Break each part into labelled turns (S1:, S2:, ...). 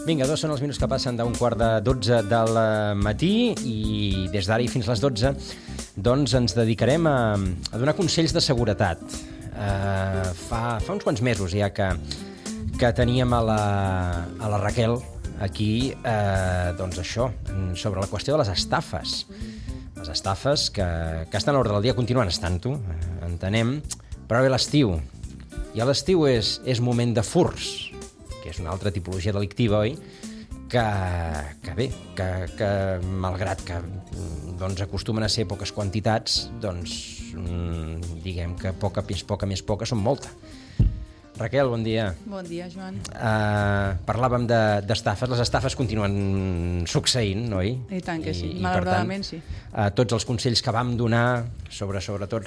S1: Vinga, 2 són els minuts que passen d'un 11:45 del matí i des d'ara i fins les 12 doncs ens dedicarem a donar consells de seguretat. Fa uns quants mesos ja que teníem a la Raquel aquí, doncs això, sobre la qüestió de les estafes. Les estafes que estan a l'ordre del dia, continuen estant-ho, entenem, però ve l'estiu. I a l'estiu és moment de furts, que és una altra tipologia delictiva, oi? Que bé, que malgrat que doncs, acostumen a ser poques quantitats, doncs diguem que poca més poca són molta. Raquel, bon dia.
S2: Bon dia, Joan.
S1: Parlàvem d'estafes. Les estafes continuen succeint, oi?
S2: I tant que sí, malauradament sí.
S1: Tots els consells que vam donar sobre, sobretot,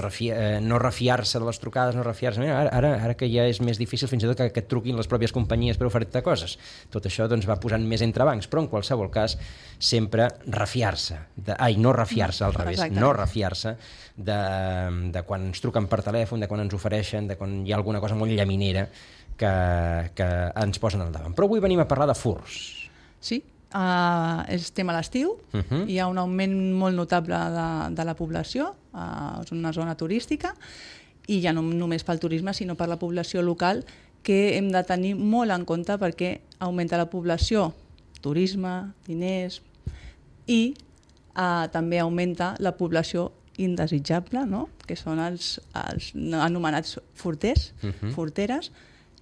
S1: no refiar-se de les trucades, no refiar-se... Ara que ja és més difícil fins i tot que et truquin les pròpies companyies per oferir-te coses. Tot això doncs, va posant més entrebancs, però en qualsevol cas sempre refiar-se. No refiar-se, al revés. Exactament. No refiar-se de quan ens truquen per telèfon, de quan ens ofereixen, de quan hi ha alguna cosa molt llaminera que ens posen al davant. Però avui venim a parlar de furts. Sí,
S2: estem a l'estiu, hi ha un augment molt notable de la població, és una zona turística, i ja no només pel turisme, sinó per la població local, que hem de tenir molt en compte perquè augmenta la població, turisme, diners, i també augmenta la població indesitjable, no? Que són els anomenats furters, furteres,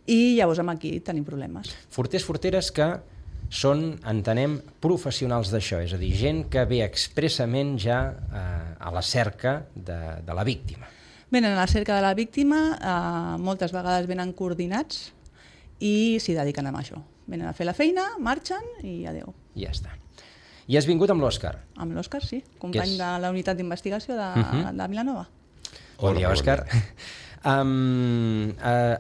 S2: i llavors aquí tenim problemes.
S1: Furters, furteres que són, entenem, professionals d'això, és a dir, gent que ve expressament ja a la cerca de la víctima.
S2: Venen a la cerca de la víctima, moltes vegades venen coordinats i s'hi dediquen a això. Venen a fer la feina, marxen i adeu.
S1: I ja està. I has vingut amb l'Òscar?
S2: Amb l'Òscar, sí. Company de la unitat d'investigació de Vilanova.
S1: Bon dia, Òscar.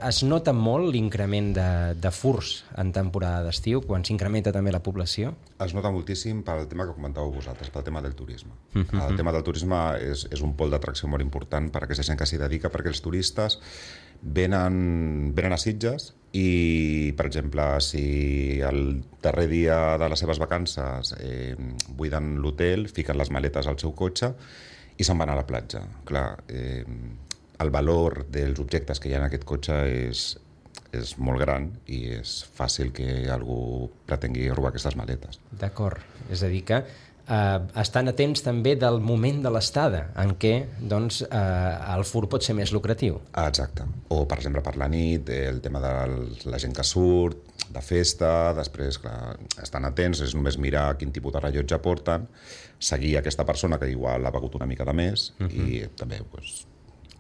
S1: Es nota molt l'increment de furts en temporada d'estiu, quan s'incrementa també la població?
S3: Es nota moltíssim pel tema que comentàveu vosaltres, pel tema del turisme. El tema del turisme és un pol d'atracció molt important per a aquesta gent que s'hi dedica, perquè els turistes venen a Sitges i, per exemple, si el darrer dia de les seves vacances buiden l'hotel, fiquen les maletes al seu cotxe i se'n van a la platja. Clar, el valor dels objectes que hi ha en aquest cotxe és molt gran i és fàcil que algú pretengui robar aquestes maletes.
S1: D'acord, és a dir que estan atents també del moment de l'estada en què doncs, el furt pot ser més lucratiu.
S3: Exacte. O, per exemple, per la nit, el tema de la gent que surt, de festa, després, clar, estan atents, és només mirar quin tipus de rellotge porten, seguir aquesta persona que igual ha begut una mica de més i també, doncs,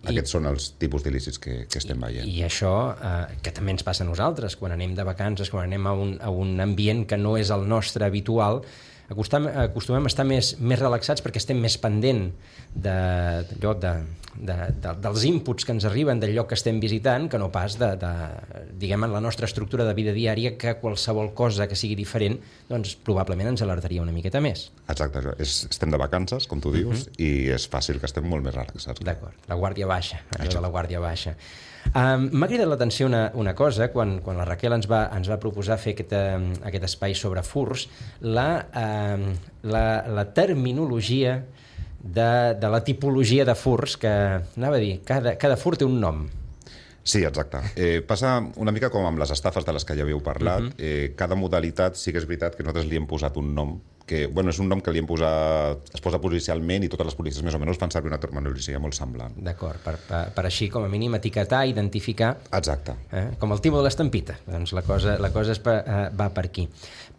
S3: aquests són els tipus d'il·lícits que estem veient.
S1: I això, que també ens passa a nosaltres, quan anem de vacances, quan anem a un ambient que no és el nostre habitual, acostumem a estar més relaxats perquè estem més pendent dels inputs que ens arriben del lloc que estem visitant, que no pas diguem, en la nostra estructura de vida diària, que qualsevol cosa que sigui diferent doncs probablement ens alertaria una miqueta més.
S3: Exacte, estem de vacances, com tu dius, i és fàcil que estem molt més relaxats.
S1: D'acord, la guàrdia baixa, allò de la guàrdia baixa. M'ha cridat l'atenció una cosa, quan la Raquel ens va proposar fer aquest espai sobre furts, la terminologia de la tipologia de furts, que anava a dir, cada furt té un nom.
S3: Sí, exacte. Passa una mica com amb les estafes de les que ja havíeu parlat. Cada modalitat sí que és veritat que nosaltres li hem posat un nom, que és un nom que li hem posat, es posa policialment i totes les policies més o menys fan servir una terminologia molt semblant.
S1: D'acord, per així com a mínim etiquetar, identificar.
S3: Exacte.
S1: Com el timo de l'estampita, doncs la cosa va per aquí.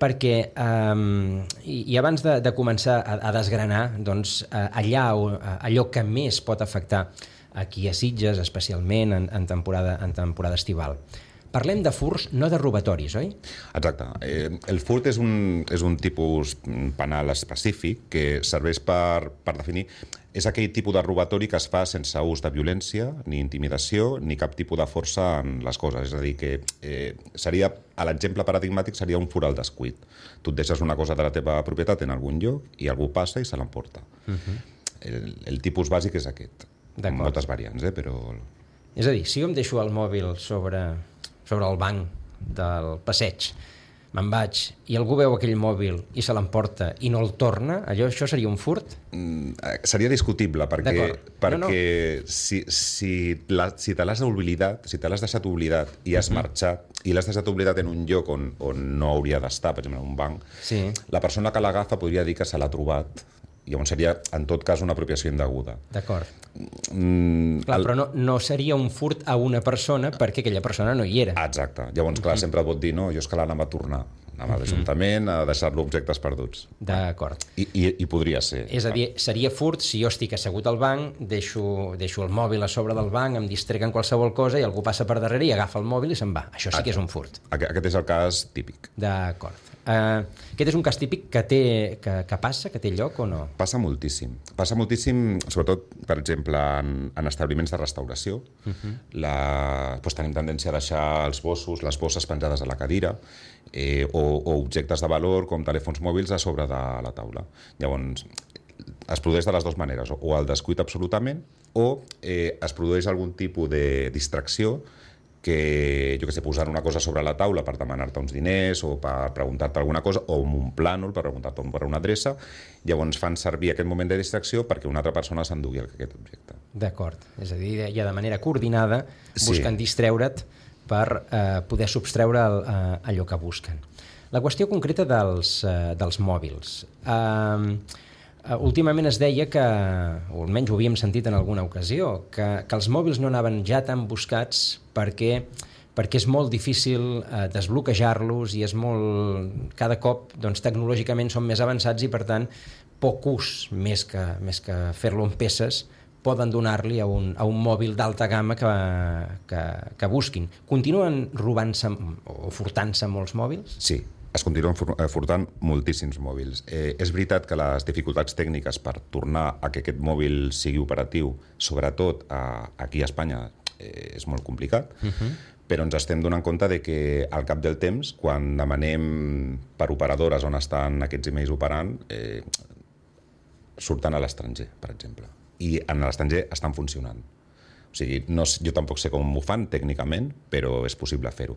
S1: Perquè, i abans de començar a desgranar, doncs allò que més pot afectar aquí a Sitges, especialment en temporada estival. Parlem de furts, no de robatoris, oi?
S3: Exacte. El furt és un tipus penal específic que serveix per definir... És aquell tipus de robatori que es fa sense ús de violència, ni intimidació, ni cap tipus de força en les coses. És a dir, que seria, l'exemple paradigmàtic seria un furt al descuit. Tu et deixes una cosa de la teva propietat en algun lloc i algú passa i se l'emporta. El tipus bàsic és aquest. Amb moltes variants, però...
S1: És a dir, si jo em deixo el mòbil sobre el banc del passeig me'n vaig i algú veu aquell mòbil i se l'emporta i no el torna, això seria un furt?
S3: Seria discutible, perquè si te l'has oblidat, si te l'has deixat oblidat i has marxat, i l'has deixat oblidat en un lloc on no hauria d'estar, per exemple, en un banc, la persona que l'agafa podria dir que se l'ha trobat. Llavors seria, en tot cas, una apropiació indeguda.
S1: D'acord. Clar, però no seria un furt a una persona perquè aquella persona no hi era.
S3: Exacte. Llavors, clar, sempre et pot dir, no, jo és que l'anava a tornar. Anava a l'Ajuntament a deixar-lo objectes perduts.
S1: D'acord.
S3: I podria ser.
S1: És a dir, seria furt si jo estic assegut al banc, deixo el mòbil a sobre del banc, em distrec en qualsevol cosa i algú passa per darrere i agafa el mòbil i se'n va. Això sí que és un furt.
S3: Aquest és el cas típic.
S1: D'acord. Aquest és un cas típic que passa, que té lloc o no?
S3: Passa moltíssim. Passa moltíssim, sobretot, per exemple, en establiments de restauració. Tenim tendència a deixar els bossos, les bosses penjades a la cadira, o objectes de valor com telèfons mòbils a sobre de la taula. Llavors, es produeix de les dues maneres, o el descuit absolutament, o es produeix algun tipus de distracció que, jo què sé, posar una cosa sobre la taula per demanar-te uns diners o per preguntar-te alguna cosa, o un plànol per preguntar-te per una adreça, llavors fan servir aquest moment de distracció perquè una altra persona s'endugui aquest objecte.
S1: D'acord, és a dir, ja de manera coordinada busquen distreure't per poder substreure allò que busquen. La qüestió concreta dels mòbils. Últimament es deia que, o almenys ho havíem sentit en alguna ocasió, que els mòbils no anaven ja tan buscats perquè és molt difícil desbloquejar-los i és molt... Cada cop tecnològicament són més avançats i, per tant, poc ús, més que fer-lo en peces, poden donar-li a un mòbil d'alta gamma que busquin. Continuen robant-se o furtant-se molts mòbils?
S3: Sí, es continuen furtant moltíssims mòbils. És veritat que les dificultats tècniques per tornar a que aquest mòbil sigui operatiu, sobretot aquí a Espanya, és molt complicat, però ens estem donant compte de que al cap del temps, quan demanem per operadores on estan aquests emails operant, surten a l'estranger, per exemple. I en l'estranger estan funcionant. O sigui, jo tampoc sé com ho fan tècnicament, però és possible fer-ho.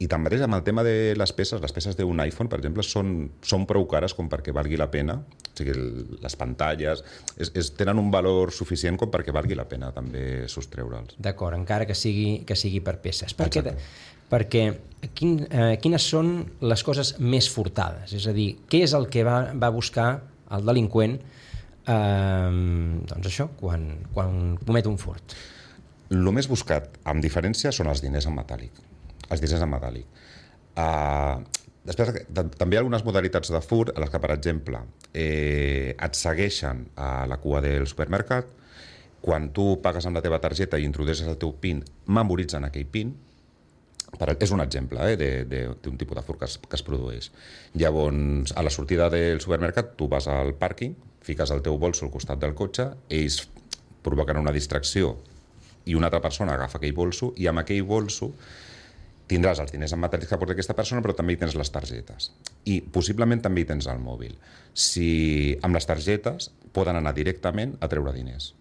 S3: I tanmateix, amb el tema de les peces d'un iPhone, per exemple, són prou cares com perquè valgui la pena. O sigui, les pantalles tenen un valor suficient com perquè valgui la pena també sostreure'ls.
S1: D'acord, encara que sigui per peces. Perquè quines són les coses més furtades? És a dir, què és el que va buscar el delinqüent doncs això, quan comet un furt?
S3: El més buscat, amb diferència, són els diners en metàl·lic. Després, també hi ha algunes modalitats de furt en les que, per exemple, et segueixen a la cua del supermercat, quan tu pagues amb la teva targeta i introdueixes el teu PIN, memoritzen aquell PIN. És un exemple d'un tipus de furt que es produeix. Llavors, a la sortida del supermercat, tu vas al pàrquing, fiques el teu bolso al costat del cotxe, ells provoquen una distracció i una altra persona agafa aquell bolso i amb aquell bolso tindràs els diners en metàl·lics que porta aquesta persona, però també hi tens les targetes. I possiblement també hi tens el mòbil. Amb les targetes poden anar directament a treure diners.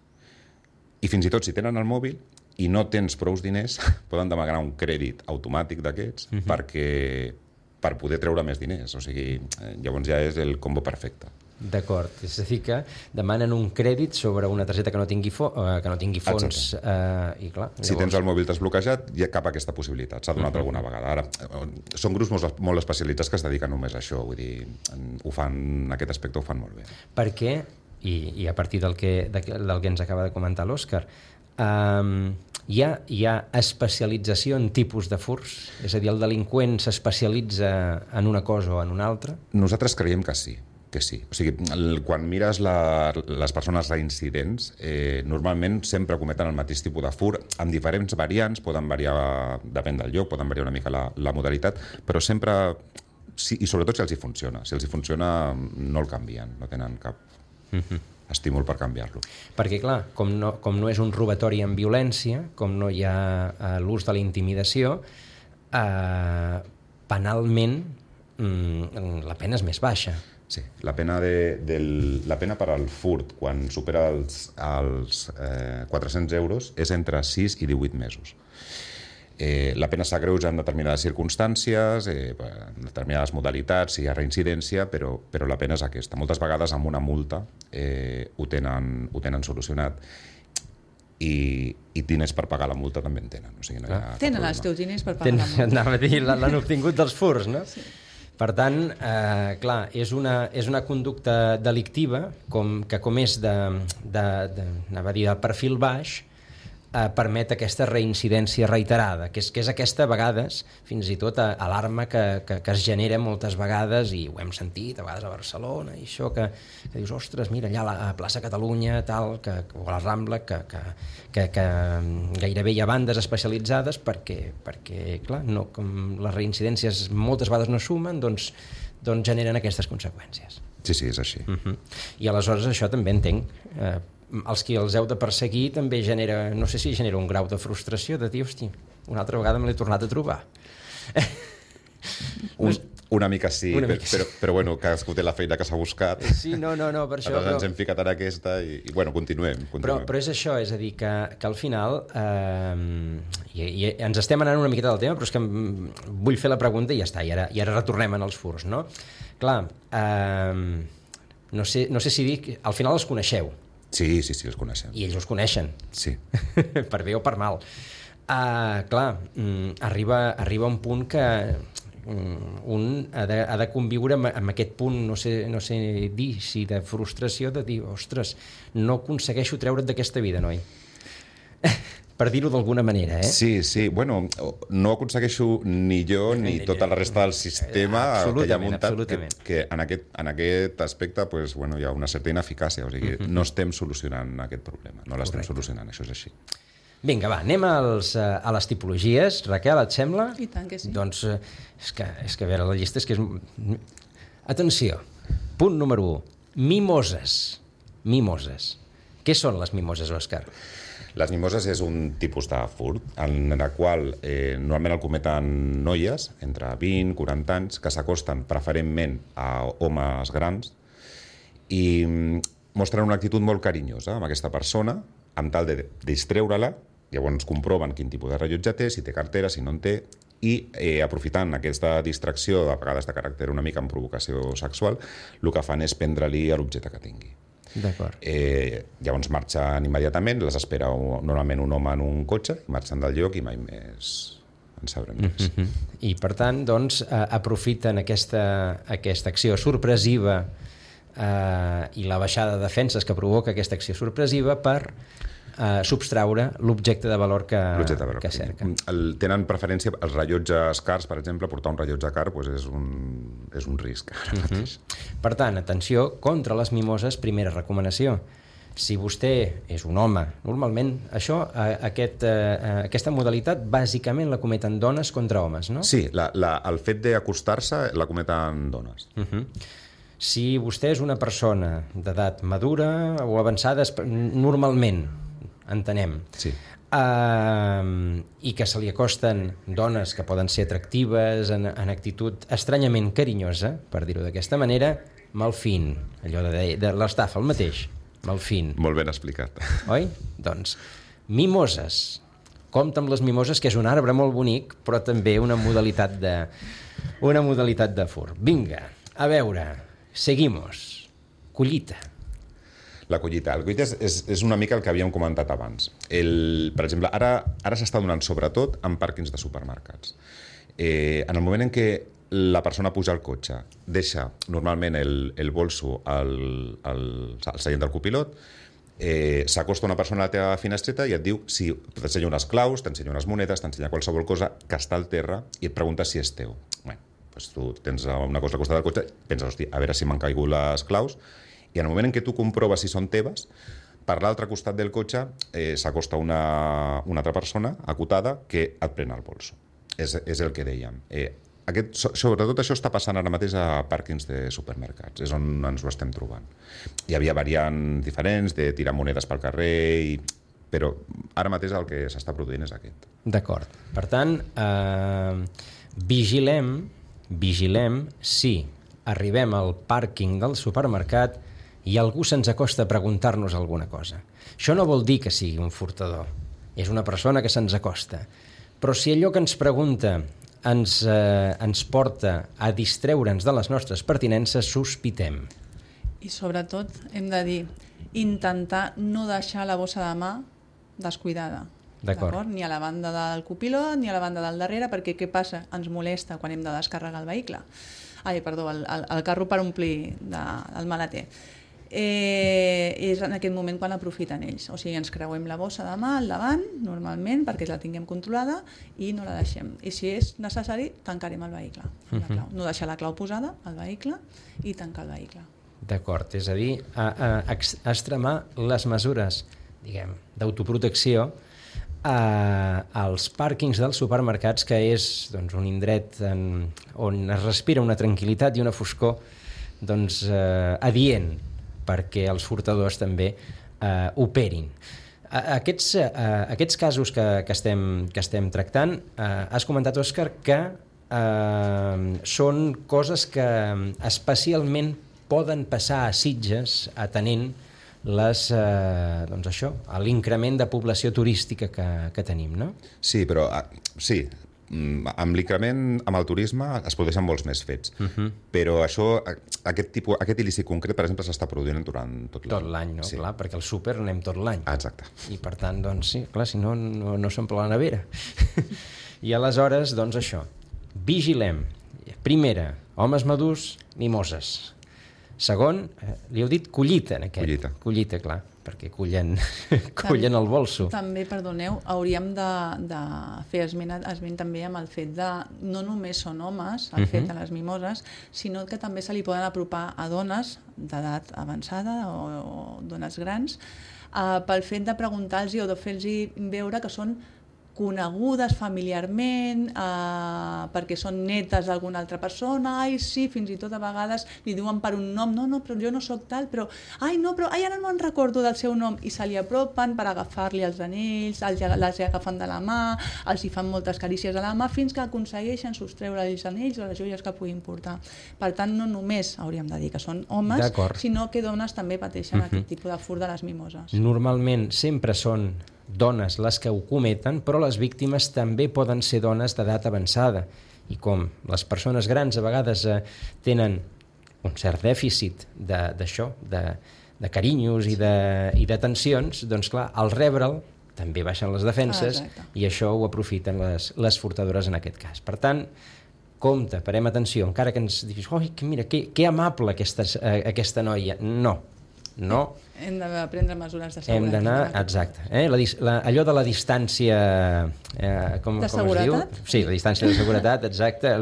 S3: I fins i tot si tenen el mòbil i no tens prous diners, poden demanar un crèdit automàtic d'aquests per poder treure més diners. O sigui, llavors ja és el combo perfecte.
S1: D'acord, és a dir que demanen un crèdit sobre una targeta que no tingui fons i clar, llavors...
S3: Si tens el mòbil desbloquejat, ja cap aquesta possibilitat, s'ha donat alguna vegada. Ara, són grups molt especialitzats que es dediquen només a això, vull dir, en aquest aspecte ho fan molt bé.
S1: Per què, i a partir del que ens acaba de comentar l'Òscar, hi ha especialització en tipus de furts? És a dir, el delinqüent s'especialitza en una cosa o en una altra?
S3: Nosaltres creiem que sí. O sigui, quan mires les persones reincidents, normalment sempre cometen el mateix tipus de furt, amb diferents variants, poden variar, depèn del lloc, poden variar una mica la modalitat, però sempre, i sobretot si els hi funciona. Si els hi funciona, no el canvien, no tenen cap estímul per canviar-lo.
S1: Perquè, clar, com no és un robatori amb violència, com no hi ha l'ús de la intimidació, penalment la pena és més baixa.
S3: Sí, la pena per al furt, quan supera els 400 euros, és entre 6 i 18 mesos. La pena s'agreuja en determinades circumstàncies, en determinades modalitats, si hi ha reincidència, però la pena és aquesta. Moltes vegades amb una multa ho tenen solucionat i diners per pagar la multa també en tenen. O sigui, no hi ha
S2: tenen els teus diners per pagar la multa.
S1: Anava a dir, l'han obtingut dels furs, no? Sí. Per tant, clar, és una conducta delictiva que com és anava a dir, de perfil baix, permet aquesta reincidència reiterada, que és aquesta, a vegades, fins i tot alarma que es genera moltes vegades, i ho hem sentit a vegades a Barcelona, i això que dius, ostres, mira, allà a la plaça Catalunya, tal, o a la Rambla, que gairebé hi ha bandes especialitzades perquè clar, no, com les reincidències moltes vegades no sumen, doncs generen aquestes conseqüències.
S3: Sí, és així.
S1: I aleshores això també entenc, els qui els heu de perseguir també genera, no sé si genera un grau de frustració de dir, hosti, una altra vegada me l'he tornat a trobar.
S3: Una mica sí, però bueno, cadascú té la feina que s'ha buscat.
S1: Sí, no, per això.
S3: Aleshores ens hem ficat en aquesta i bueno, continuem.
S1: Però és això, és a dir, que al final i ens estem anant una miqueta del tema, però és que vull fer la pregunta i ja està, i ara retornem en els furs, no? Clar, no sé si dic, al final els coneixeu.
S3: Sí, els coneixem.
S1: I ells us coneixen.
S3: Sí.
S1: Per bé o per mal. Clar, arriba un punt que un ha de conviure amb aquest punt, no sé dir, si de frustració, de dir, ostres, no aconsegueixo treure't d'aquesta vida, noi. Per dir-ho d'alguna manera, eh?
S3: Sí, bueno, no aconsegueixo ni jo ni tota la resta del sistema que hi ha muntat, que en aquest aspecte pues, bueno, hi ha una certa ineficàcia, o sigui, no estem solucionant aquest problema, no l'estem solucionant, això és així.
S1: Vinga, va, anem a les tipologies. Raquel, et sembla?
S2: I tant que sí.
S1: Doncs és que a veure, la llista és que és... Atenció, punt número 1, mimoses. Què són les mimoses, Òscar?
S3: Les mimoses és un tipus de furt en el qual normalment el cometen noies entre 20 i 40 anys que s'acosten preferentment a homes grans i mostren una actitud molt carinyosa amb aquesta persona amb tal de distreure-la. Llavors comproven quin tipus de rellotge té, si té cartera, si no en té, i aprofitant aquesta distracció, a vegades de caràcter una mica amb provocació sexual, el que fan és prendre-li l'objecte que tingui.
S1: D'acord.
S3: Llavors marxen immediatament, les espera normalment un home en un cotxe, marxen del lloc i mai més en sabrem més.
S1: I per tant, doncs, aprofiten aquesta acció sorpresiva i la baixada de defenses que provoca aquesta acció sorpresiva per substraure l'objecte de valor que cerquen.
S3: Tenen preferència, els rellotges cars, per exemple, portar un rellotge car doncs és un risc ara mateix.
S1: Per tant, atenció, contra les mimoses, primera recomanació. Si vostè és un home, normalment aquesta modalitat bàsicament la cometen dones contra homes, no?
S3: Sí, el fet d'acostar-se la cometen dones.
S1: Si vostè és una persona d'edat madura o avançada, normalment, entenem,
S3: sí.
S1: I que se li acosten dones que poden ser atractives, en actitud estranyament carinyosa, per dir-ho d'aquesta manera, malfin, allò de l'estafa, el mateix, malfin.
S3: Molt ben explicat.
S1: Oi? Doncs, mimoses. Compte amb les mimoses, que és un arbre molt bonic, però també una modalitat de furt. Vinga, a veure, seguimos. Collita.
S3: La collita. El collita és una mica el que havíem comentat abans. Per exemple, ara s'està donant sobretot en pàrquings de supermercats. En el moment en què la persona puja al cotxe, deixa normalment el bolso al seient del copilot, s'acosta una persona a la teva finestreta i et diu, si t'ensenya unes claus, t'ensenya unes monedes, t'ensenya qualsevol cosa que està al terra i et pregunta si és teu. Bé, doncs tu tens una cosa al costat del cotxe, penses, hosti, a veure si m'han caigut les claus, i en el moment en què tu comproves si són teves, per l'altre costat del cotxe s'acosta una altra persona acotada que et pren el bolso. És el que dèiem. Sobretot això està passant ara mateix a pàrquings de supermercats, és on ens ho estem trobant. Hi havia variants diferents de tirar monedes pel carrer, però ara mateix el que s'està produint és aquest.
S1: D'acord. Per tant, vigilem si arribem al pàrquing del supermercat i algú se'ns acosta a preguntar-nos alguna cosa. Això no vol dir que sigui un furtador, és una persona que se'ns acosta. Però si allò que ens pregunta ens porta a distreure'ns de les nostres pertinences, sospitem.
S2: I sobretot hem de dir, intentar no deixar la bossa de mà descuidada.
S1: D'acord.
S2: Ni a la banda del copilot ni a la banda del darrere, perquè què passa? Ens molesta quan hem de descarregar el vehicle. El carro per omplir el maleter. És en aquest moment quan aprofiten ells. O sigui, ens creuem la bossa de mà al davant, normalment, perquè la tinguem controlada i no la deixem. I si és necessari, tancarem el vehicle. No deixar la clau posada al vehicle i tancar el vehicle.
S1: D'acord, és a dir, extremar les mesures, diguem, d'autoprotecció als pàrquings dels supermercats, que és doncs, un indret on es respira una tranquil·litat i una foscor doncs, adient perquè els furtadors també operin. Aquests casos que estem tractant, has comentat, Òscar, que són coses que especialment poden passar a Sitges atenent l'increment de població turística que tenim, no?
S3: Sí, però sí, amb l'increment, amb el turisme es produeixen molts més fets, però aquest il·lícit concret, per exemple, s'està produint durant tot l'any.
S1: Tot l'any, no? Sí. Clar, perquè al súper anem tot l'any.
S3: Exacte.
S1: I per tant, doncs sí, clar, si no s'omple la nevera. I aleshores, doncs això, vigilem. Primera, homes madurs, mimoses. Segon, li heu dit collita en aquest. Collita, clar, perquè cullen el bolso.
S2: També, perdoneu, hauríem de fer esment també amb el fet de no només són homes, el fet de les mimoses, sinó que també se li poden apropar a dones d'edat avançada o dones grans pel fet de preguntar-los o de fer-los veure que són conegudes familiarment, perquè són netes d'alguna altra persona, sí, fins i tot a vegades li diuen per un nom, no, però jo no sóc tal, però ara no me'n recordo del seu nom, i se li apropen per agafar-li els anells, les agafen de la mà, els hi fan moltes carícies a la mà, fins que aconsegueixen sostreure els anells o les joies que puguin portar. Per tant, no només hauríem de dir que són homes, sinó que dones també pateixen aquest tipus de furt de les mimoses.
S1: Normalment sempre són dones les que ho cometen, però les víctimes també poden ser dones d'edat avançada. I com les persones grans a vegades tenen un cert dèficit d'això, de carinyos i d'atencions, doncs clar, al rebre'l també baixen les defenses i això ho aprofiten les furtadores en aquest cas. Per tant, compte, parem atenció, encara que ens diguis, mira, que amable aquesta noia. No.
S2: Hem de prendre mesures de seguretat.
S1: Hem d'anar, exacte. Allò de la distància...
S2: de seguretat?
S1: Sí, la distància de seguretat, exacte.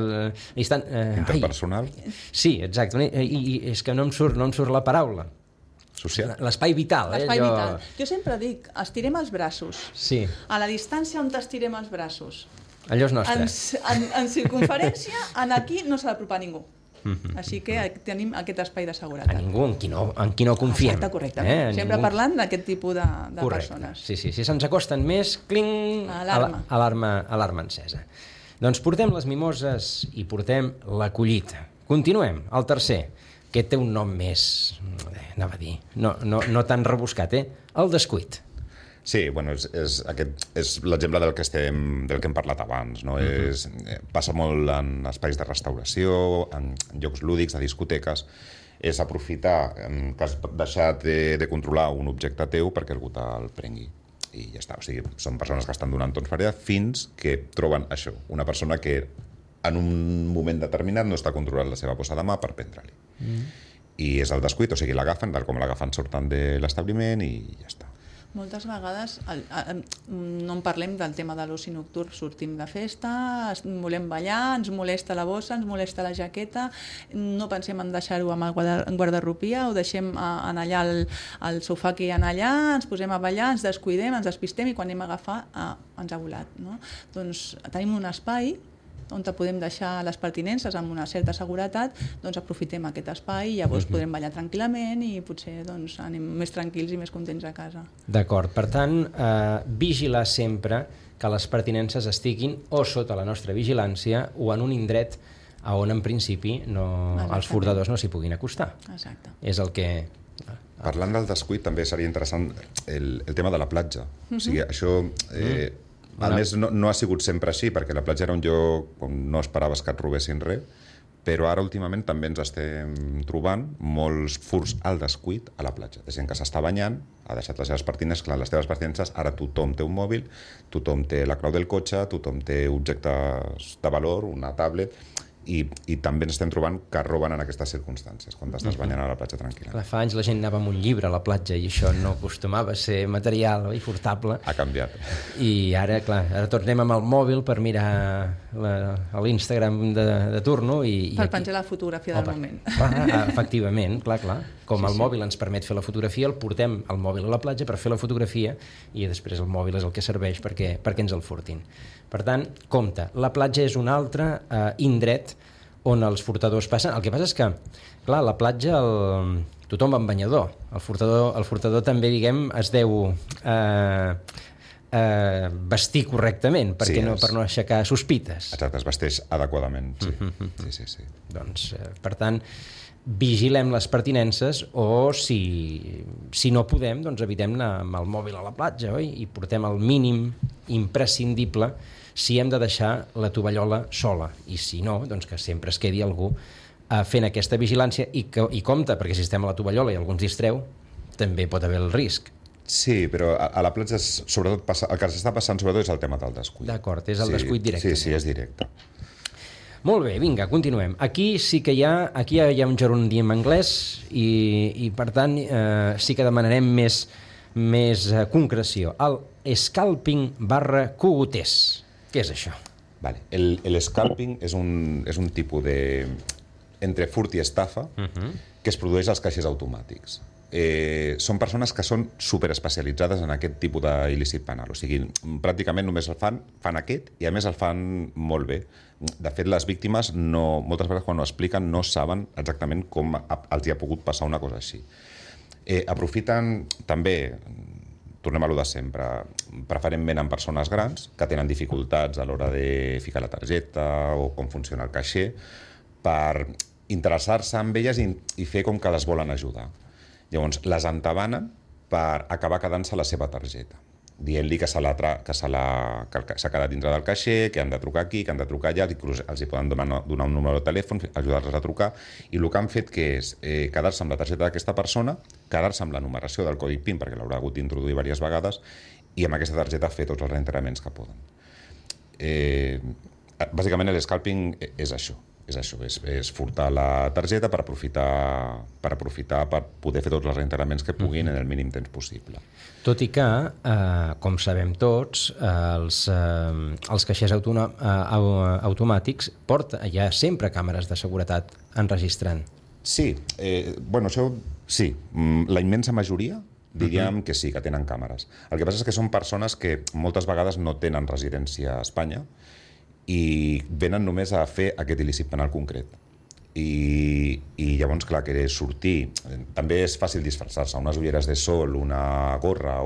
S3: Interpersonal?
S1: Sí, exacte. I és que no em surt la paraula.
S3: Social?
S1: L'espai vital.
S2: L'espai vital. Jo sempre dic, estirem els braços.
S1: Sí.
S2: A la distància on estirem els braços.
S1: Allò és nostre.
S2: En circunferència, aquí no s'ha d'apropar ningú. Així que tenim aquest espai de seguretat.
S1: A ningú, en qui no confiem.
S2: Exacte, correcte. Sempre parlant d'aquest tipus de persones.
S1: Sí, si se'ns acosten més, cling, alarma encesa. Doncs portem les mimoses i portem la collita. Continuem, el tercer, que té un nom més, anava a dir, no tan rebuscat, el descuit.
S3: Sí, bueno, és l'exemple del que hem parlat abans, no? Passa molt en espais de restauració, en llocs lúdics, de discoteques, és aprofitar que has deixat de controlar un objecte teu perquè algú te'l prengui. I ja està, o sigui, són persones que estan donant tons fareda fins que troben això, una persona que en un moment determinat no està controlant la seva bossa de mà per prendre-li. I és el descuit, o sigui, l'agafen, tal com l'agafen surten de l'establiment i ja està.
S2: Moltes vegades no en parlem del tema de l'oci nocturn, sortim de festa, volem ballar, ens molesta la bossa, ens molesta la jaqueta, no pensem en deixar-ho amb el guardarropia, ho deixem en allà al sofà que hi ha allà, ens posem a ballar, ens descuidem, ens despistem i quan anem a agafar ens ha volat. No? Doncs tenim un espai on podem deixar les pertinences amb una certa seguretat, doncs aprofitem aquest espai i llavors podrem ballar tranquil·lament i potser doncs, anem més tranquils i més contents a casa.
S1: D'acord, per tant, vigilar sempre que les pertinences estiguin o sota la nostra vigilància o en un indret on en principi els furtadors no s'hi puguin acostar.
S2: Exacte.
S1: És el que...
S3: Parlant del descuit també seria interessant el tema de la platja. O sigui, això... A més, no ha sigut sempre així, perquè la platja era un lloc on no esperaves que et robessin res, però ara últimament també ens estem trobant molts furts al descuit a la platja. De gent que s'està banyant, ha deixat les seves pertinences, clar, les teves pertinences, ara tothom té un mòbil, tothom té la clau del cotxe, tothom té objectes de valor, una tablet, i també ens estem trobant que roben en aquestes circumstàncies, quan t'estàs banyant a la platja tranquil·la.
S1: Clar, fa anys la gent anava amb un llibre a la platja i això no acostumava a ser material i furtable.
S3: Ha canviat.
S1: I ara, clar, ara tots anem amb el mòbil per mirar l'Instagram de turno i
S2: per penjar la fotografia del moment.
S1: Clar, efectivament, clar. Com el mòbil ens permet fer la fotografia, el portem al mòbil a la platja per fer la fotografia i després el mòbil és el que serveix perquè ens el furtin. Per tant, compte, la platja és un altre indret on els furtadors passen. El que passa és que, clar, a la platja tothom va amb banyador. El furtador també, diguem, es deu vestir correctament per no aixecar sospites.
S3: Exacte, es vesteix adequadament, sí. Sí.
S1: Doncs, per tant, vigilem les pertinences o, si no podem, doncs evitem anar amb el mòbil a la platja, oi? I portem el mínim imprescindible si hem de deixar la tovallola sola. I si no, doncs que sempre es quedi algú fent aquesta vigilància i compte, perquè si estem a la tovallola i algú ens distreu, també pot haver el risc.
S3: Sí, però a la platja sobretot el que s'està passant sobretot és el tema del descuit.
S1: D'acord, és el descuit directe.
S3: Sí, és directe.
S1: Molt bé, vinga, continuem. Aquí sí que hi ha un gerondi en anglès i per tant sí que demanarem més concreció. El scalping/cogoters. Què és això?
S3: Vale. El scalping és un tipus de entre furt i estafa que es produeix als caixers automàtics. Són persones que són superespecialitzades en aquest tipus d'il·lícit penal. O sigui, pràcticament només el fan aquest i a més el fan molt bé. De fet, les víctimes moltes vegades quan ho expliquen no saben exactament com els hi ha pogut passar una cosa així. Aprofiten també, tornem a lo de sempre, preferentment en persones grans que tenen dificultats a l'hora de ficar la targeta o com funciona el caixer, per interessar-se amb elles i fer com que les volen ajudar. Llavors, les entabanen per acabar quedant-se la seva targeta, dient-li que s'ha quedat dintre del caixer, que han de trucar aquí, que han de trucar allà, inclús els hi poden donar un número de telèfon, ajudar-los a trucar, i el que han fet que és quedar-se amb la targeta d'aquesta persona, quedar-se amb la numeració del codi PIN, perquè l'haurà hagut d'introduir diverses vegades, i amb aquesta targeta fer tots els reenterraments que poden. Bàsicament, el scalping és això. És furtar la targeta per aprofitar per poder fer tots els reintegraments que puguin en el mínim temps possible.
S1: Tot i que, com sabem tots, els caixers automàtics hi ha sempre càmeres de seguretat enregistrant.
S3: Sí, això sí, la immensa majoria diríem que sí, que tenen càmeres. El que passa és que són persones que moltes vegades no tenen residència a Espanya i venen només a fer aquest il·lícit penal concret. I llavors, clar, que sortir... També és fàcil disfressar-se. Unes ulleres de sol, una gorra...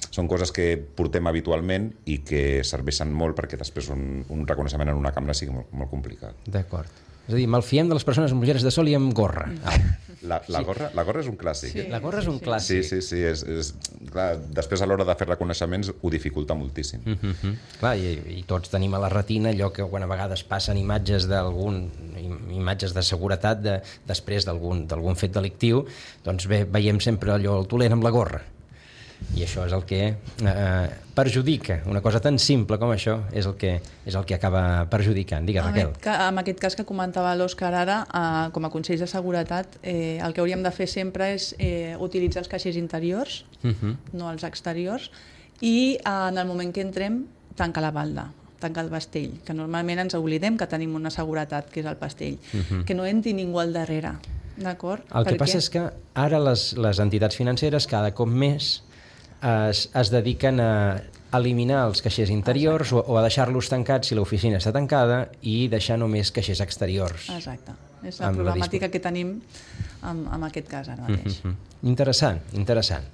S3: Són coses que portem habitualment i que serveixen molt perquè després un reconeixement en una càmera sigui molt complicat.
S1: D'acord. És a dir, malfiem de les persones amb ulleres de sol i amb gorra.
S3: La gorra és un clàssic.
S1: Sí. La gorra és un clàssic.
S3: Sí. Clar, després a l'hora de fer reconeixements ho dificulta moltíssim.
S1: Clar, i tots tenim a la retina allò que quan a vegades passen imatges de seguretat després d'algun fet delictiu, doncs bé, veiem sempre allò el tolent amb la gorra. I això és el que perjudica. Una cosa tan simple com això és el que acaba perjudicant. Digues, Raquel.
S2: En aquest cas que comentava l'Òscar ara, com a consells de seguretat, el que hauríem de fer sempre és utilitzar els caixers interiors, no els exteriors, i en el moment que entrem, tancar la balda, tancar el pastell, que normalment ens oblidem que tenim una seguretat, que és el pastell, que no entri ningú al darrere. D'acord?
S1: El que passa és que ara les entitats financeres cada cop més es dediquen a eliminar els caixers interiors o a deixar-los tancats si l'oficina està tancada i deixar només caixers exteriors.
S2: Exacte. És la problemàtica que tenim en aquest cas ara mateix.
S1: Interessant.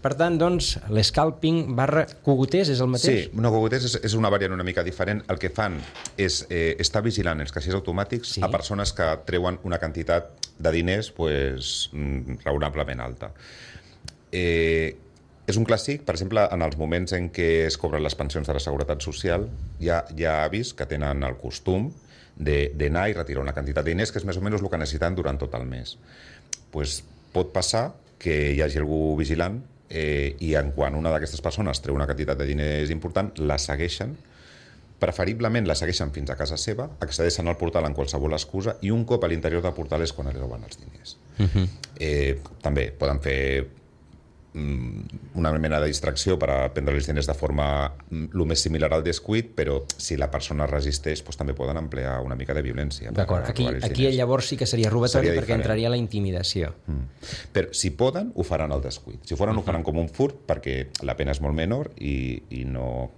S1: Per tant, doncs, l'escalping/cogoters és el mateix?
S3: Sí, cogoters és una variant una mica diferent. El que fan és estar vigilant els caixers automàtics a persones que treuen una quantitat de diners raonablement alta. És un clàssic, per exemple, en els moments en què es cobren les pensions de la Seguretat Social, hi ha avis que tenen el costum d'anar i retirar una quantitat de diners que és més o menys el que necessiten durant tot el mes. Pues pot passar que hi hagi algú vigilant i quan una d'aquestes persones treu una quantitat de diners important, la segueixen, preferiblement la segueixen fins a casa seva, accedeixen al portal en qualsevol excusa i un cop a l'interior del portal és quan li roben els diners. També poden fer una mena de distracció per a prendre els diners de forma el més similar al descuit, però si la persona resisteix, doncs també poden emplear una mica de violència.
S1: D'acord, aquí llavors sí que seria robatori perquè entraria la intimidació.
S3: Però si poden, ho faran al descuit. Si ho faran com un furt, perquè la pena és molt menor i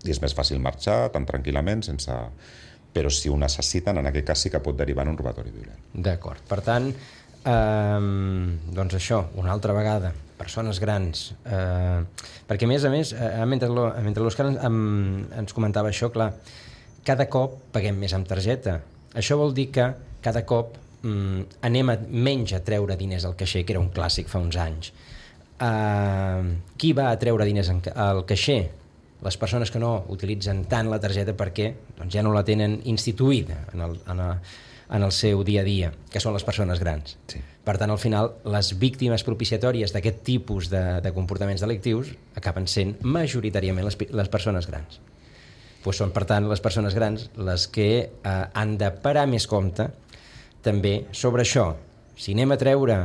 S3: és més fàcil marxar tan tranquil·lament sense... Però si ho necessiten, en aquest cas sí que pot derivar en un robatori violent.
S1: D'acord, per tant, doncs això, una altra vegada, persones grans, perquè a més, mentre l'Òscar ens comentava això, clar, cada cop paguem més amb targeta. Això vol dir que cada cop anem menys a treure diners al caixer, que era un clàssic fa uns anys. Qui va a treure diners al caixer? Les persones que no utilitzen tant la targeta perquè doncs ja no la tenen instituïda en el seu dia a dia, que són les persones grans.
S3: Sí.
S1: Per tant, al final, les víctimes propiciatòries d'aquest tipus de comportaments delictius acaben sent majoritàriament les persones grans. Doncs són, per tant, les persones grans les que han de parar més compte també sobre això. Si anem a treure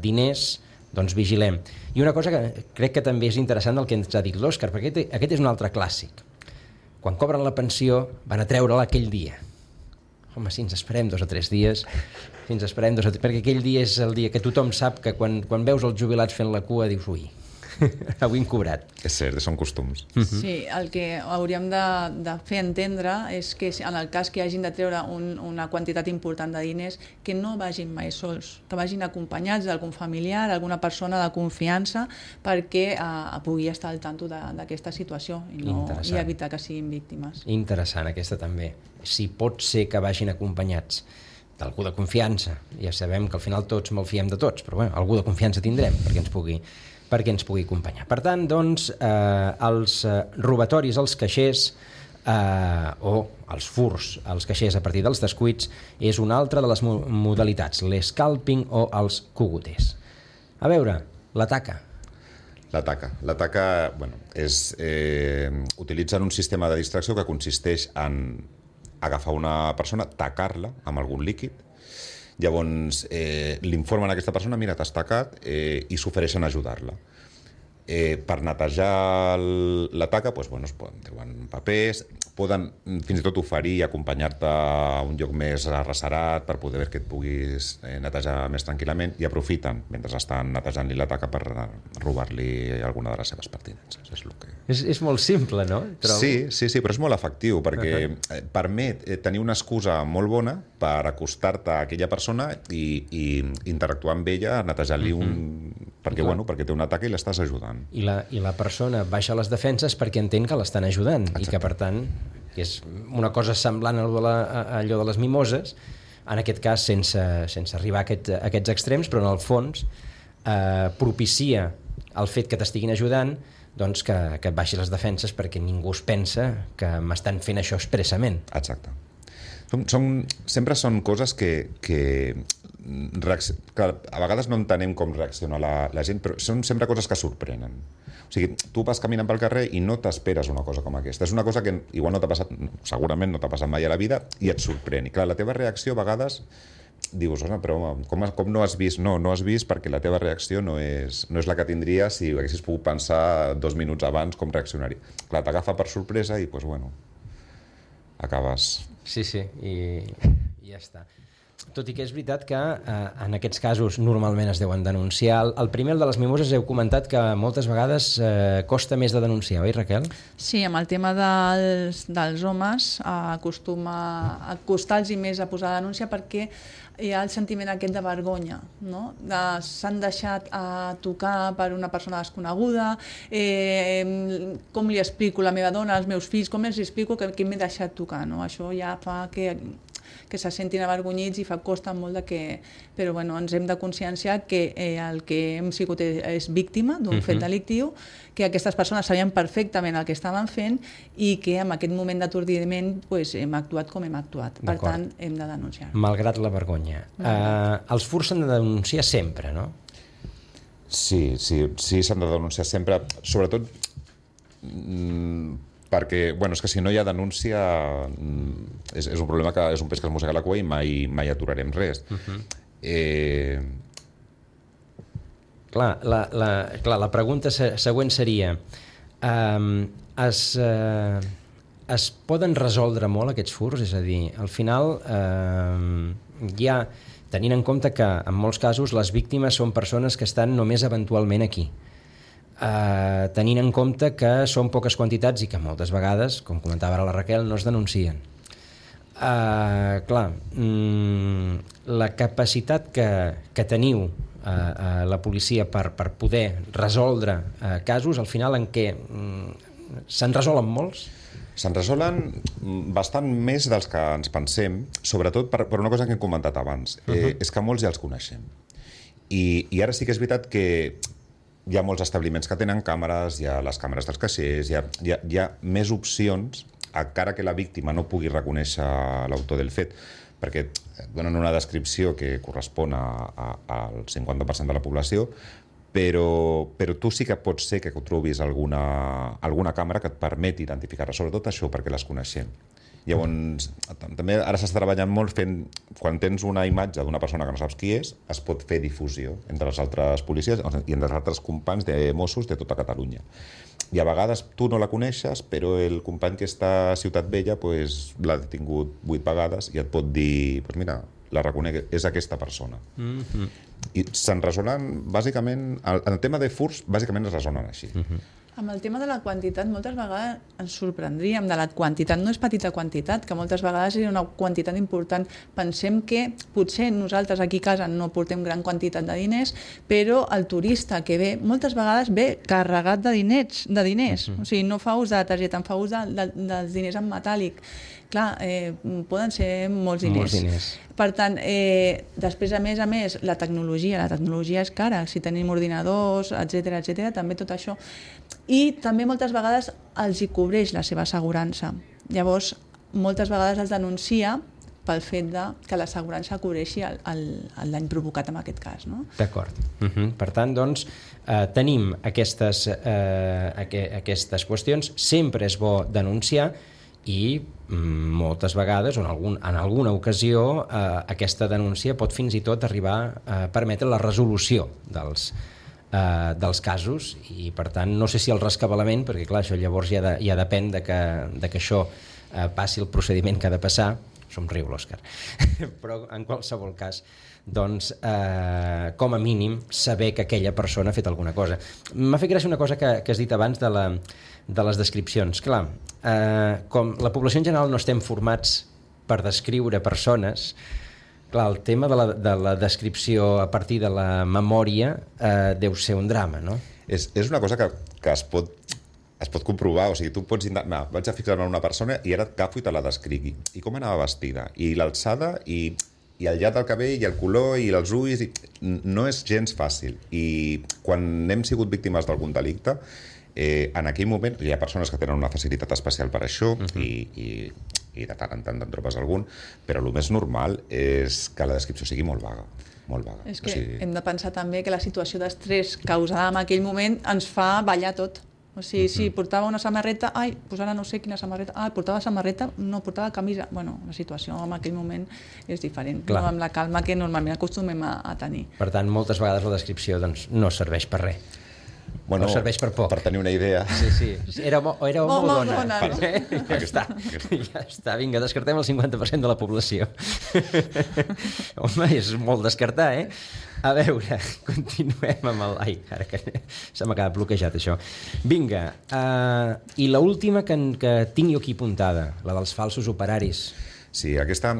S1: diners, doncs vigilem. I una cosa que crec que també és interessant del que ens ha dit l'Òscar, perquè aquest és un altre clàssic. Quan cobren la pensió, van a treure-la aquell dia. Home, si ens esperem 2 o 3 dies, perquè aquell dia és el dia que tothom sap que quan veus els jubilats fent la cua dius, ui, avui hem cobrat.
S3: És cert, són costums.
S2: Sí, el que hauríem de fer entendre és que en el cas que hagin de treure una quantitat important de diners, que no vagin mai sols, que vagin acompanyats d'algun familiar, alguna persona de confiança, perquè pugui estar al tanto d'aquesta situació i evitar que siguin víctimes.
S1: Interessant, aquesta també. Si pot ser que vagin acompanyats d'algú de confiança, ja sabem que al final tots malfiem de tots, però bueno, algú de confiança tindrem perquè ens pugui acompanyar. Per tant, doncs, els robatoris als caixers o els furs als caixers a partir dels descuits és una altra de les modalitats, l'escalping o els cogoters. A veure, l'ataca.
S3: L'ataca, bueno, utilitzen un sistema de distracció que consisteix en agafar una persona, tacar-la amb algun líquid. Llavors, l'informen a aquesta persona, mira, t'has tacat, i s'ofereixen a ajudar-la. Per netejar la taca, doncs, bueno, es poden treure papers, poden fins i tot oferir i acompanyar-te a un lloc més arrecerat per poder que et puguis netejar més tranquil·lament, i aprofiten, mentre estan netejant-li la taca, per robar-li alguna de les seves pertinences.
S1: És molt simple, no?
S3: Sí, però és molt efectiu, perquè permet tenir una excusa molt bona per acostar-te a aquella persona i interactuar amb ella, netejar-li perquè té un atac i l'estàs ajudant.
S1: I la persona baixa les defenses perquè entén que l'estan ajudant. Exacte. I que, per tant, que és una cosa semblant a allò de les mimoses, en aquest cas sense arribar a aquests extrems, però en el fons propicia el fet que t'estiguin ajudant, doncs que et baixi les defenses perquè ningú es pensa que m'estan fent això expressament.
S3: Exacte. Sempre són coses que a vegades no entenem com reacciona la gent, però són sempre coses que sorprenen. O sigui, tu vas caminant pel carrer i no t'esperes una cosa com aquesta. És una cosa que igual no t'ha passat, segurament no t'ha passat mai a la vida, i et sorprèn. I clar, la teva reacció a vegades dius, però com no has vist? No has vist perquè la teva reacció no és la que tindries si haguessis pogut pensar 2 minuts abans com reaccionar-hi. Clar, t'agafa per sorpresa i, doncs, bueno, acabes...
S1: Sí, i ja està. Tot i que és veritat que en aquests casos normalment es deuen denunciar. El primer, el de les mimoses, heu comentat que moltes vegades costa més de denunciar, oi, Raquel? Sí,
S2: amb el tema dels homes acostuma a costar-los més a posar la denúncia perquè hi ha el sentiment aquest de vergonya, no? S'han deixat tocar per una persona desconeguda, com li explico a la meva dona, als meus fills, com els explico que m'he deixat tocar, no? Això ja fa que que se sentin avergonyits i costa molt de que... Però bueno, ens hem de conscienciar que el que hem sigut és víctima d'un fet delictiu, que aquestes persones sabien perfectament el que estaven fent i que en aquest moment d'atordiment hem actuat com hem actuat. Per tant, hem de denunciar.
S1: Malgrat la vergonya. Els furts s'han de denunciar sempre, no?
S3: Sí, s'han de denunciar sempre, sobretot perquè, és que si no hi ha denúncia és un problema que és un peix que es mossega la cua i mai aturarem res.
S1: Clar, la pregunta següent seria es poden resoldre molt aquests furts? És a dir, al final hi ha, tenint en compte que en molts casos les víctimes són persones que estan només eventualment aquí, tenint en compte que són poques quantitats i que moltes vegades, com comentava ara la Raquel, no es denuncien. Clar, la capacitat que teniu la policia per poder resoldre casos, al final en què se'n resolen molts?
S3: Se'n resolen bastant més dels que ens pensem, sobretot per una cosa que hem comentat abans, és que molts ja els coneixem. I ara sí que és veritat que hi ha molts establiments que tenen càmeres, hi ha les càmeres dels caixers, hi ha més opcions, encara que la víctima no pugui reconèixer l'autor del fet, perquè donen una descripció que correspon al 50% de la població, però tu sí que pot ser que trobis alguna càmera que et permeti identificar-la, sobretot això, perquè les coneixem. Llavors, també ara s'està treballant molt fent, quan tens una imatge d'una persona que no saps qui és, es pot fer difusió entre les altres policies i entre els altres companys de Mossos de tota Catalunya. I a vegades tu no la coneixes, però el company que està a Ciutat Vella l'ha detingut 8 vegades i et pot dir, mira, la reconec, és aquesta persona. I se'n resolen, bàsicament, el tema de furts, bàsicament es resolen així.
S2: Amb el tema de la quantitat, moltes vegades ens sorprendríem de la quantitat. No és petita quantitat, que moltes vegades és una quantitat important. Pensem que potser nosaltres aquí a casa no portem gran quantitat de diners, però el turista que ve, moltes vegades ve carregat de diners. O sigui, no fa ús de la targeta, en fa ús dels diners en metàl·lic. Clar, poden ser molts diners. Per tant, després, a més, la tecnologia és cara. Si tenim ordinadors, etcètera, també tot això. I també moltes vegades els hi cobreix la seva assegurança. Llavors, moltes vegades es denuncia pel fet que l'assegurança cobreixi el dany provocat en aquest cas. No?
S1: D'acord. Per tant, doncs, tenim aquestes qüestions. Sempre és bo denunciar i moltes vegades, o en alguna ocasió, aquesta denúncia pot fins i tot arribar a permetre la resolució dels casos i, per tant, no sé si el rescabalament, perquè clar, això llavors ja depèn de que això passi el procediment que ha de passar. Somriu, l'Òscar. Però, en qualsevol cas, doncs, com a mínim, saber que aquella persona ha fet alguna cosa. M'ha fet gràcia una cosa que has dit abans de les descripcions. Clar, com la població en general no estem formats per descriure persones, clar, el tema de la descripció a partir de la memòria deu ser un drama, no?
S3: És una cosa que es pot comprovar, o sigui, tu pots intentar, vaig a fixar-me en una persona i ara et agafo i te la descrigui. I com anava vestida, i l'alçada, i el llarg del cabell, i el color, i els ulls, no és gens fàcil. I quan hem sigut víctimes d'algun delicte, en aquell moment hi ha persones que tenen una facilitat especial per això i de tant en tant te'n trobes algun, però el més normal és que la descripció sigui molt vaga. Molt vaga.
S2: És que hem de pensar també que la situació d'estrès causada en aquell moment ens fa ballar tot. O sigui, si portava una samarreta, doncs ara no sé quina samarreta, portava samarreta, no portava camisa. Bueno, la situació en aquell moment és diferent, no amb la calma que normalment acostumem a tenir.
S1: Per tant, moltes vegades la descripció no serveix per res.
S3: Bueno,
S1: no serveix per poc.
S3: Per tenir una idea.
S1: Sí. Era molt bona.
S2: No?
S1: Ja està. Vinga, descartem el 50% de la població. Home, és molt descartar, eh? A veure, continuem amb el... Ai, ara que se m'ha quedat bloquejat, això. Vinga, i l'última que tinc jo aquí apuntada, la dels falsos operaris.
S3: Sí, aquesta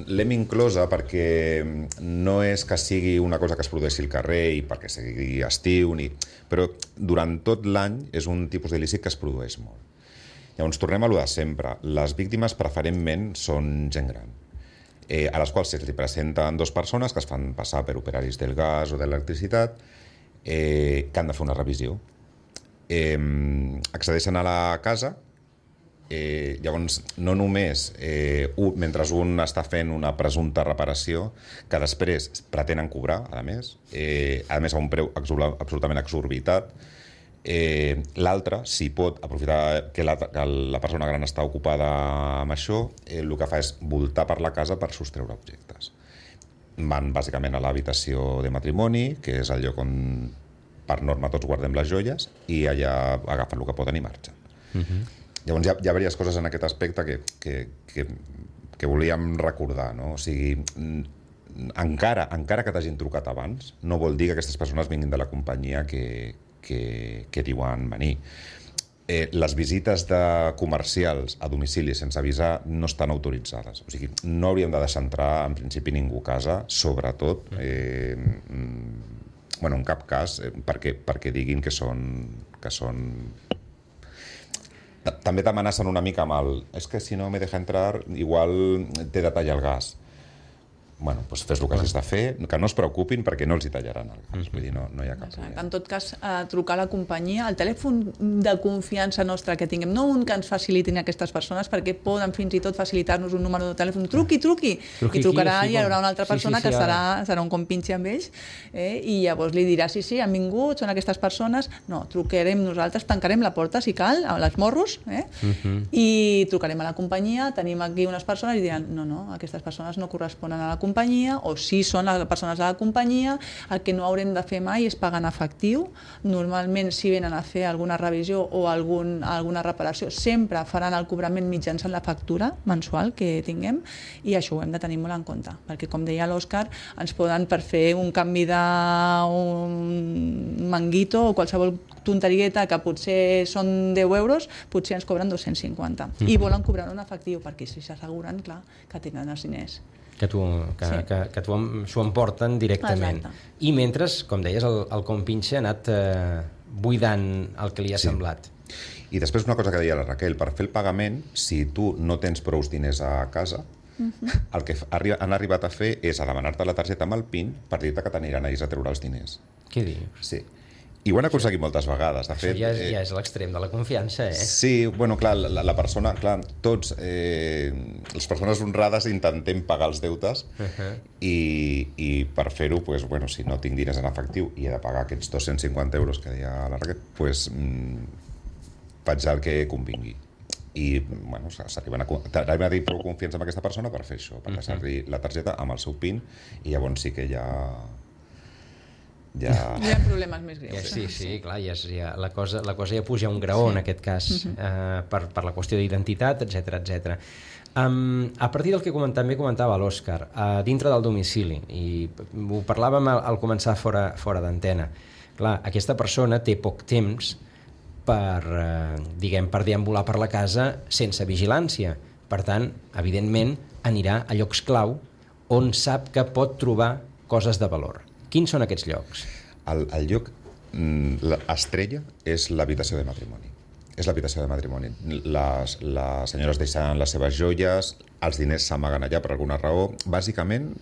S3: l'hem inclosa perquè no és que sigui una cosa que es produeixi al carrer i perquè sigui estiu, però durant tot l'any és un tipus d'il·lícit que es produeix molt. Llavors, tornem a lo de sempre. Les víctimes preferentment són gent gran. a les quals se'ls presenten 2 persones que es fan passar per operaris del gas o de l'electricitat, que han de fer una revisió. Accedeixen a la casa, llavors no només mentre un està fent una presumpta reparació que després pretenen cobrar, a més a un preu absolutament exorbitat. L'altre, si pot aprofitar que la persona gran està ocupada amb això, el que fa és voltar per la casa per sostreure objectes. Van bàsicament a l'habitació de matrimoni, que és el lloc on per norma tots guardem les joies, i allà agafen el que poden i marxen. Llavors hi ha diverses coses en aquest aspecte que volíem recordar, no? O sigui, encara que t'hagin trucat abans, no vol dir que aquestes persones vinguin de la companyia que diuen venir. Les visites de comercials a domicili sense avisar no estan autoritzades. O sigui, no hauríem de deixar entrar en principi ningú a casa, sobretot en cap cas perquè diguin que són també t'amenacen una mica amb és que si no me deja entrar igual t'he de tallar el gas. Bueno, doncs fes el que hagis de fer, que no es preocupin perquè no els hi tallaran el gas, vull dir, no hi ha cap problema.
S2: En tot cas, trucar a la companyia, el telèfon de confiança nostre que tinguem, no un que ens facilitin aquestes persones, perquè poden fins i tot facilitar-nos un número de telèfon, truqui, i trucarà i hi haurà una altra persona que serà un compinxi amb ells, i llavors li dirà, sí, han vingut, són aquestes persones, no, trucarem nosaltres, tancarem la porta si cal, a les morros, i trucarem a la companyia, tenim aquí unes persones i diran, no, aquestes persones no corresponen a la companyia, o si són les persones de la companyia, el que no haurem de fer mai és pagar en efectiu. Normalment, si venen a fer alguna revisió o alguna reparació, sempre faran el cobrament mitjançant la factura mensual que tinguem, i això ho hem de tenir molt en compte, perquè, com deia l'Òscar, ens poden, per fer un canvi d'un manguito o qualsevol tonterieta que potser són 10 euros, potser ens cobren 250. I volen cobrar en efectiu, perquè si s'asseguren, clar, que tenen els diners.
S1: Que s'ho emporten directament.
S2: Exacte.
S1: I mentre, com deies, el compinxe ha anat buidant el que li ha semblat.
S3: I després una cosa que deia la Raquel, per fer el pagament, si tu no tens prou diners a casa, el que han arribat a fer és a demanar-te la targeta amb el PIN per dir-te que t'aniran ells a treure els diners.
S1: Què dius?
S3: Sí. I ho han aconseguit moltes vegades. De fet,
S1: ja és l'extrem de la confiança,
S3: Sí, bueno, clar, la persona, clar, tots, les persones honrades intentem pagar els deutes i per fer-ho, bueno, si no tinc diners en efectiu i he de pagar aquests 250 euros que deia la Raquel, faig el que convingui. I, bueno, s'arriben a dir prou confiança amb aquesta persona per fer això, per deixar-li la targeta amb el seu PIN, i llavors sí que ja
S2: hi ha problemes més greus.
S1: Sí, clar, la cosa ja puja un graó, en aquest cas, per la qüestió d'identitat, etc. A partir del que també comentava l'Òscar, dintre del domicili, i ho parlàvem al començar fora d'antena, clar, aquesta persona té poc temps per deambular per la casa sense vigilància. Per tant, evidentment, anirà a llocs clau on sap que pot trobar coses de valor. Quins són aquests llocs?
S3: El lloc estrella és l'habitació de matrimoni. És l'habitació de matrimoni. Les senyores deixen les seves joies, els diners s'amaguen allà per alguna raó. Bàsicament,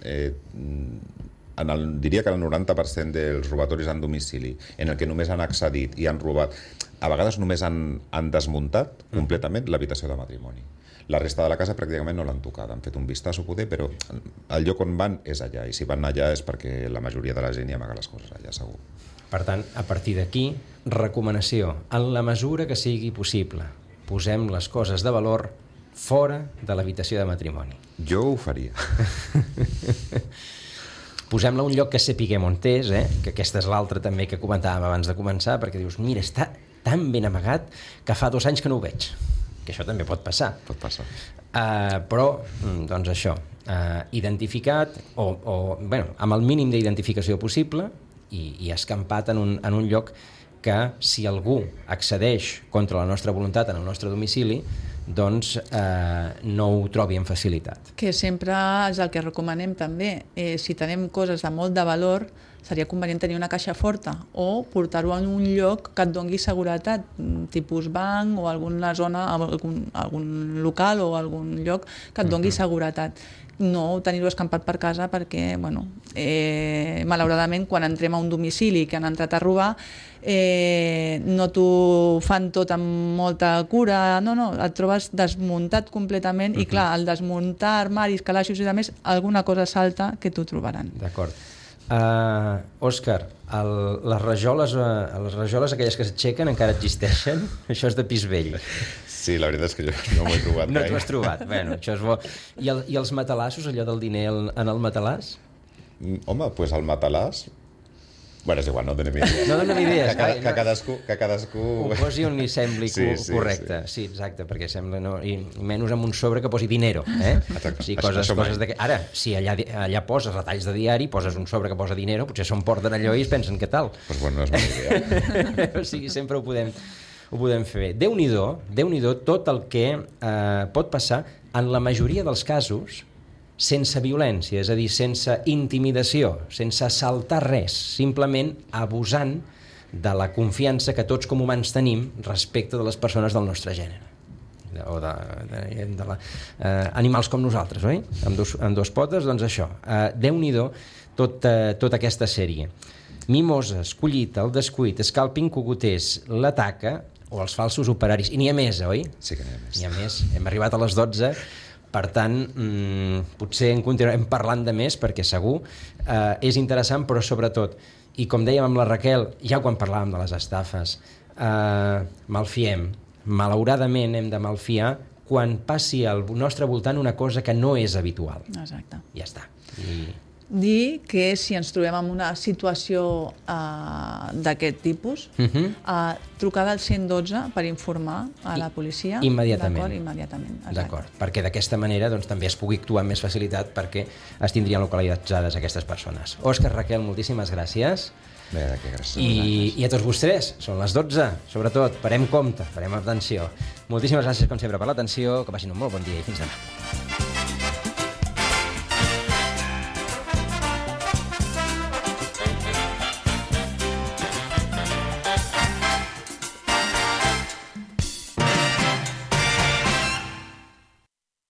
S3: diria que el 90% dels robatoris en domicili, en el que només han accedit i han robat, a vegades només han desmuntat completament l'habitació de matrimoni. La resta de la casa pràcticament no l'han tocat, han fet un vistazo poder, però el lloc on van és allà, i si van allà és perquè la majoria de la gent hi amaga les coses allà, segur.
S1: Per tant, a partir d'aquí, recomanació, en la mesura que sigui possible, posem les coses de valor fora de l'habitació de matrimoni.
S3: Jo ho faria.
S1: Posem-la a un lloc que sapiguem on és, que aquesta és l'altra també que comentàvem abans de començar, perquè dius, mira, està tan ben amagat que fa 2 anys que no ho veig. Que això també pot passar.
S3: Pot passar.
S1: Però, doncs això, identificat, amb el mínim d'identificació possible i escampat en un lloc que, si algú accedeix contra la nostra voluntat en el nostre domicili, doncs no ho trobi amb facilitat.
S2: Que sempre és el que recomanem també. Si tenim coses de molt de valor, seria convenient tenir una caixa forta o portar-ho en un lloc que et doni seguretat, tipus banc o alguna zona, algun local o algun lloc que et doni seguretat. No tenir-ho escampat per casa perquè, bueno, malauradament, quan entrem a un domicili que han entrat a robar, no t'ho fan tot amb molta cura, no, et trobes desmuntat completament i, clar, al desmuntar armaris, calaixos i demés, alguna cosa salta que t'ho trobaran.
S1: D'acord. Òscar, les rajoles aquelles que s'aixequen encara existeixen? Això és de pis vell.
S3: Sí, la veritat és que jo no m'ho he trobat.
S1: No t'ho has trobat, bueno, això és bo. I els matalassos, allò del diner en el matalàs?
S3: Home, doncs el matalàs... Bueno, és igual, no donem idees.
S1: No donem idees.
S3: Que cadascú...
S1: Ho posi on li sembli correcte. Sí, exacte, perquè sembla... No, i menys amb un sobre que posi dinero.
S3: Exacte.
S1: Sí, coses ara, si allà poses retalls de diari, poses un sobre que posa dinero, potser se'n porten allò i es pensen què tal.
S3: Doncs bueno, no és bona idea.
S1: O sigui, sempre ho podem fer bé. Déu-n'hi-do tot el que pot passar en la majoria dels casos sense violència, és a dir, sense intimidació, sense assaltar res, simplement abusant de la confiança que tots com humans tenim respecte de les persones del nostre gènere o animals com nosaltres, oi? Amb dos potes, doncs això. Déu-n'hi-do tota aquesta sèrie. Mimoses, collita, el descuit, scalping, cogoters, l'ataca o els falsos operaris. I n'hi ha més, oi?
S3: Sí que n'hi ha més.
S1: N'hi ha més. Hem arribat a les 12, per tant, potser en continuarem parlant de més, perquè segur és interessant, però sobretot, i com dèiem amb la Raquel, ja quan parlàvem de les estafes, malfiem. Malauradament hem de malfiar quan passi al nostre voltant una cosa que no és habitual.
S2: Exacte.
S1: Ja està.
S2: Dir que si ens trobem en una situació d'aquest tipus, trucada al 112 per informar a la policia.
S1: Immediatament.
S2: D'acord, immediatament.
S1: D'acord, perquè d'aquesta manera doncs, també es pugui actuar amb més facilitat perquè es tindrien localitzades aquestes persones. Òscar, Raquel, moltíssimes gràcies.
S3: Bé, que gràcies.
S1: I a tots vostès, són les 12, sobretot, parem compte, parem atenció. Moltíssimes gràcies, com sempre, per l'atenció, que passin un molt bon dia i fins demà.